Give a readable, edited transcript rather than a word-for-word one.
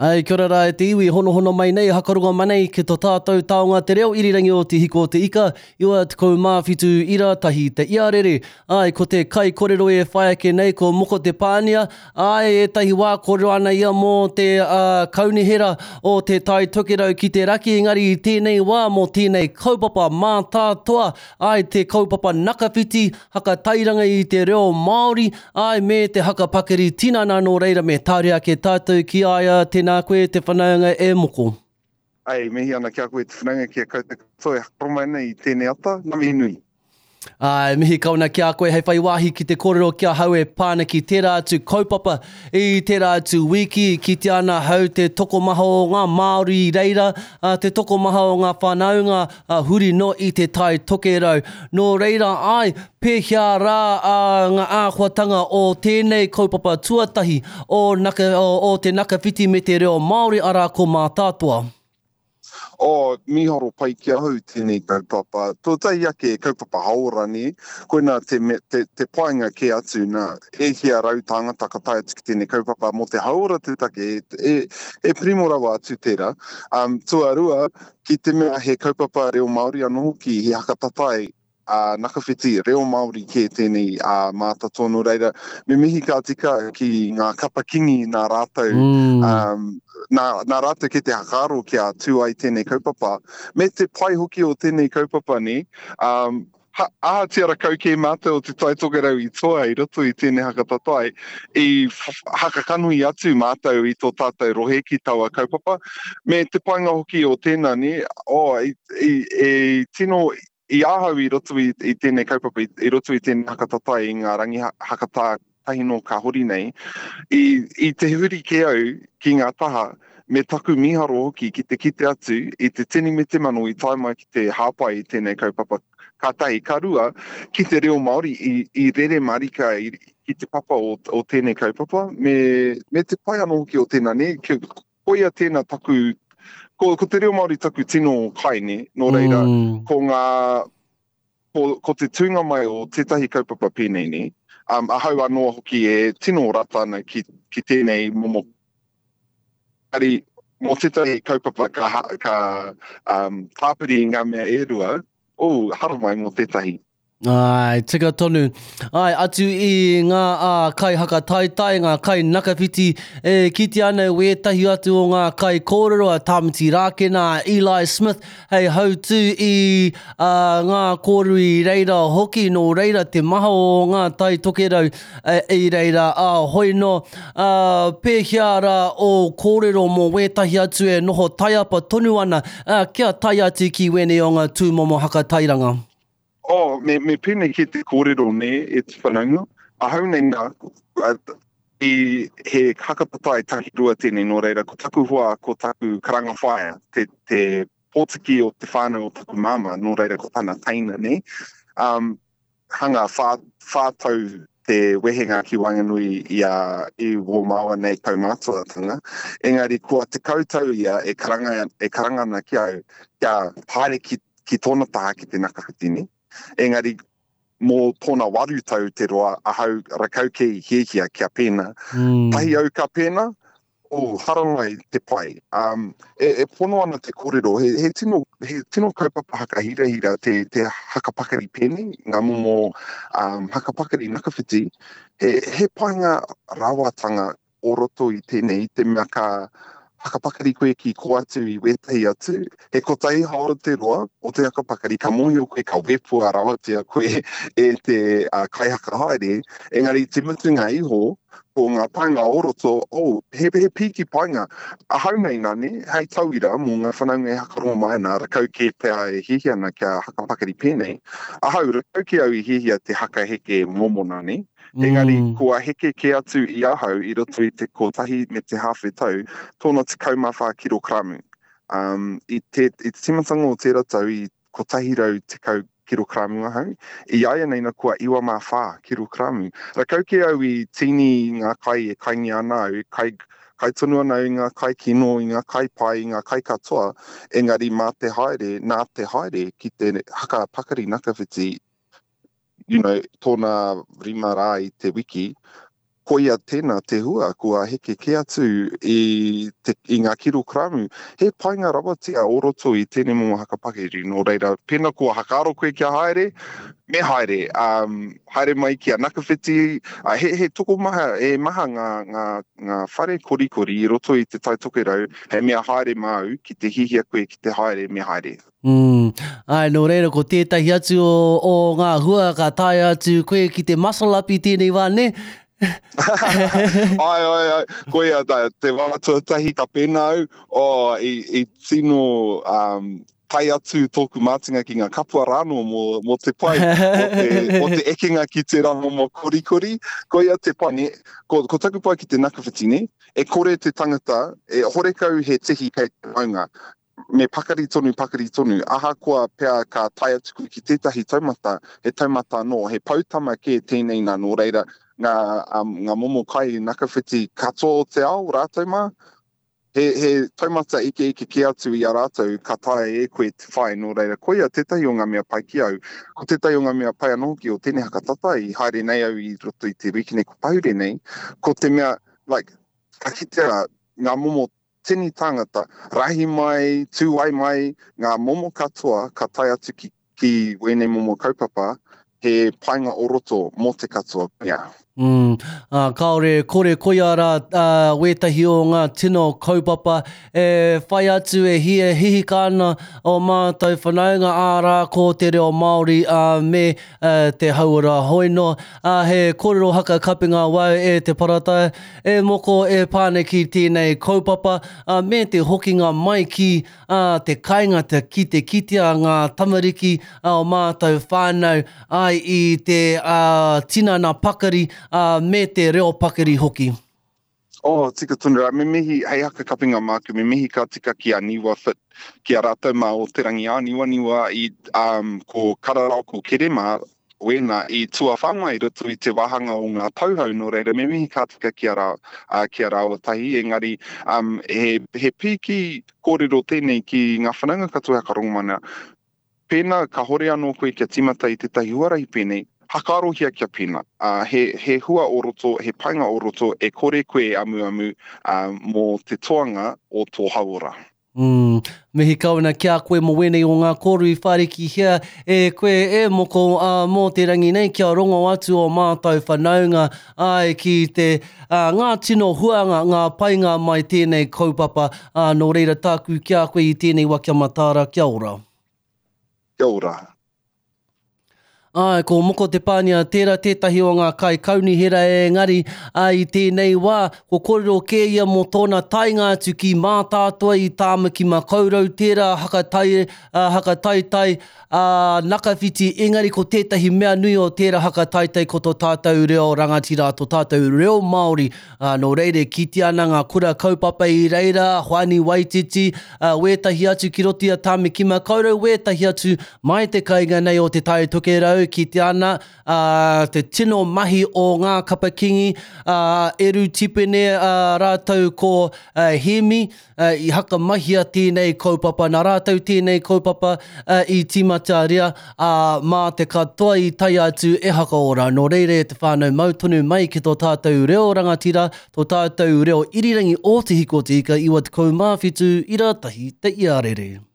Ai, kia ora rā e te iwi, honohono mai nei, hakarongo mai nei ki to tātou taonga te reo irirangi o Te Hiko o Te Ika, 97 ira tahi te iarere. Ai, ko te kai korero e whai ake nei ko Moko Te Pānia, ai, ētahi wā kōrero ana ia mō te uh, kaunihera o Te Tai Tokerau ki te raki, engari i tēnei wā mō tēnei kaupapa mātātoa, ai, te kaupapa nakawhiti, haka tairanga i te reo Māori, āe, me te haka pakari tinana, nō reira me tāria ake tātou ki a ia, tēnā koe te whanaunga e Moko. Āe, mihi ana ki a koe te whanaunga, ki a koutou katoa e hakaro mai nei i tēnei ata, ngā mihi nui. Āe, mihi kau ana ki a koe hei whai wāhi ki te kōrero ki ahau e pā ana ki tērā atu kaupapa i tērā atu wiki, kitea ana ahau te tokomaha o ngā Māori i reira, te tokomaha o ngā whanaunga, ā, huri noa i te Tai Tokerau. Nō reira, āe, pēhea rā ā, ngā āhuatanga o tēnei kaupapa tuatahi o, naka, o, o te Nakawhiti me te reo Māori, arā, ko Mātātoa? Oh, mīharo pai ki ahau tēnei kaupapa. Tuatahi ake, kaupapa hauora, nē? Koinā te, te, te painga kē atu, nā, e hia tāngata ka tae atu ki tēnei kaupapa mō te hauora te take, e, e primo rawa atu tērā. Um, tuarua, Ki te mea he kaupapa reo Māori anō hoki, he haka tatai a Nakawhiti, reo Māori kē tēnei a Mātatoa, nō reira, me mihi ka tika ki ngā kapa kingi nā rātou, mm. um, nā, nā rātou kē te hakaaro kia tū ai tēnei kaupapa. Me te pai hoki o tēnei kaupapa nei, um, Ha, ahatia rakau kē mātou o Te Tai Tokerau i toa i roto i tēnei haka tatai, i haka kanohi atu mātou i tō tātou rohe ki taua kaupapa. Me te painga hoki o tēnā, nē, oh, i, i, i tino i ahau i roto i, i tēnei kaupapa, i, i roto i tēnei haka tatai i ngā rangi hakatā tahi nō ka hori nei, i, i te huri kē au ki ngā taha, me taku mīharo hoki ki te kite atu i te tini me te mano i tae mai ki te hāpai i tēnei kaupapa ka tahi, ka rua, ki te reo Māori i, i rere marika i, ki te papa o, o tēnei kaupapa, me, me te pai anō hoki o tēnā, nē, koia tēnā taku, ko, ko te reo Māori taku tino kai, nē, nō reira, mm. ko ngā, ko, ko te tūnga mai o tētahi kaupapa pēnei nei, um, ahau anō hoki e tino rata ana ki, ki tēnei momo Engari, mō tētahi kaupapa ka, ka um, tāpiri i ngā mea e rua, oh, haramai mō tētahi. Ai, tika tonu. Ai, atu i ngā ā, kai hakataetae, ngā kai nakawhiti, e kitea ana wētahi atu o ngā kai kōrero a Tāmati Rākena, a Eli Smith, hei hautū i ā, ngā kōrero i reira hoki, nō reira te maha o ngā Tai Tokerau i reira, ā, hoi nō, ā, pēhea rā ō kōrero mō wētahi atu e noho taiapa tonu ana, ā, kia tae atu ki wēnei o ngā tūmomo hakatairanga? Oh, me, me pēnei kē te kōrero nē, e te whanaunga. Ahau nei nā, i, he hakatatai takirua tēnei, nō reira, ko taku hoa, ko taku karanga whaea, te, te pōtiki o te whānau o taku māmā, nō reira, ko tana teina, nē. Um, hanga whā, whā tau te wehenga ki waenganui i a, i wō māua nei kaumātuatanga, engari kua 10 tau ia e karanga, e karanga ana ki au, kia haere ki ki tōna taha ki te Nakawhitini, engari mō tōna waru tau te roa ahau rakau kē i hiahia kia pēnā. Mm. Tahi au ka pēnā, oh, haramai te pai. Um, e, e pono ana te kōrero, he, he, tino, he tino kaupapa hakahirahira te, te hakapakari pēnei, ngā momo um, hakapakari nakawhiti, he, he painga rawatanga o roto i tēnei, i te mea ka hakapakari koe ki kō atu i wētahi atu, he kotahi haora te roa o te hakapakari, ka mōhio koe ka wepua rawatia koe e te uh, kaihakahaere, engari te mutunga iho, ko ngā painga o roto, oh, he, he pīki painga. Ahau nei nani, hei tauira mō ngā whanaunga e hakarongo mai ana, rakau kē pea e hiahia ana kia hakapakari pēnei. Ahau, rakau kē au i hiahia te hakaheke momo nani, Engari, mm. kua heke kē atu i ahau i roto i te kotahi me te hāwhe tau, tōna 14 kirokramu. Um, i, te, i te tīmatanga o tērā tau i 110 kirokramu ahau, i āianei na kua 94 kirokramu. Rakau kē au i tīni ngā kai e kaingia ana au, e kai, kai tonu ana au i ngā kai kino, i ngā kai pai, i ngā kai katoa, engari mā te haere, nā te haere ki te haka pakari nakawhiti, you know, tōna rima rā i te wiki, Koia tēnā te hua kua heke kē atu i te, i ngā kirokramu. He painga rawatia o roto i tēnei momo haka pakiri, nō reira, pēnā kua hakaaro koe kia haere, me haere. Um, haere mai ki a Nakawhiti, uh, he, he tokomaha, he maha ngā, ngā, ngā whare korikori i roto i te Tai Tokerau, hei mea haere māu, ki te hihia koe ki te haere, me haere. Mm. Ai, nō reira, ko tētahi atu o, o ngā hua ka taea atu koe ki te muscle up i tēnei wā, nē? ai, ai, ai, koia, tā, te wā tuatahi ka pēnā au, oh, i, i tino um, tae atu tōku mātinga ki ngā kapua rānō mō, mō te pai, mō te, mō te ekenga ki tērā momo korikori. Koia te pai, nē? Ko, ko taku pai ki te nakawhiti, nē? E kore te tangata, e horekau he tihi kei te maunga. Me pakari tonu, pakari tonu. Ahakoa pea ka tae atu koe ki tētahi taumata, he taumata anō, he poutama kē tēnei nā, nō reira, ngā, um, ngā momo kai nakawhiti katoa o te ao, rātou mā, he, he taumata ikeike kē atu i a rātou ka taea e koe te whai, nō reira, koia tētahi o ngā mea pai ki au. Ko tētahi o ngā mea pai anō hoki o tēnei haka tata i haere nei au i roto i te wiki nei ko pahure nei, ko te mea, like, ka kitea ngā momo tini tāngata, rahi mai, tūai mai, ngā momo katoa ka tae atu ki, ki wēnei momo kaupapa, he painga o roto mō te katoa, yeah. Mm, ā, kāore e kore koia rā ā, wētahi o ngā tino kaupapa e whai atu e hia hihika ana o mātou whanaunga, ārā ko te reo Māori ā, me ā, te hauora hoi noa. Ā, he kōrero haka kapenga wau e te parata, E moko e pane ki tēnei kaupapa, ā, me te hokinga mai ki, ā, te kainga te ki te kitea ngā tamariki ā o mātou whānau, āe, i te, ā, tinana pakari, ā, me te reo pakari hoki. Oh, tika tonu rā. Me mihi, hei haka kapinga māku, me mihi ka tika ki a Niwa Fit, ki a rātou mā o Te Rangiāniwaniwa i, um, ko Kararao, ko Kerema, wēnā i tuawhanga i roto i te wāhanga o ngā tauhou, nō reira me mihi ka tika ki a rā, ā, ki a rāua tahi, engari, um, he, he pīki kōrero tēnei ki ngā whanaunga katoa e Hakarongomanea. Pēnā kahore anō koe kia tīmata i tētahi huarahi pēnei, hakaarohia kia pēnā. Ā, he, he hua o roto, he painga o roto e kore koe e amuamu, ā, mō te toanga o tō hauora. Mm, mihi kau ana ki a koe mō wēnei o ngā kōrero i whārikihia e koe e Moko ā, mō te rangi nei kia rongo atu o mātou whanaunga āe ki te ā, ngā tino huanga, ngā painga mai tēnei kaupapa ā, nō reira tāku ki a koe i tēnei wa kia mataara, kia ora. Kia ora. Āe, ko Moko Te Pānia tērā tētahi o ngā kaikaunihera engari, ā, i tēnei wā, ko kōrero kē ia mō tōna taenga atu ki Mātātoa i Tāmaki Makaurau, tērā hakatai, ā, hakataetae, ā, Nakawhiti, engari ko tētahi mea nui o tērā hakataetae ko tō tātou reo rangatira, tō tātou reo Māori, Ā, nō reira e kitea ana ngā kura kaupapa i reira, Hoani Waititi, ā, wētahi atu ki roto i a Tāmaki Makaurau, wētahi atu mai te kainga nei o Te Tai Tokerau, kitea ana, ā, te tino mahi o ngā kapa kingi, ā, Eru Tipene, ā, rātou ko, ā, Hēmi, I hakamahia tēnei kaupapa, nā rātou tēnei kaupapa i tīmataria, ā, mā te katoa i tae atu e hakaora. Nō reira e te whānau mau tonu mai ki tō tātou reo rangatira, tō tātou reo irirangi o Te Hiko o Te Ika 97 ira tahi te iarere.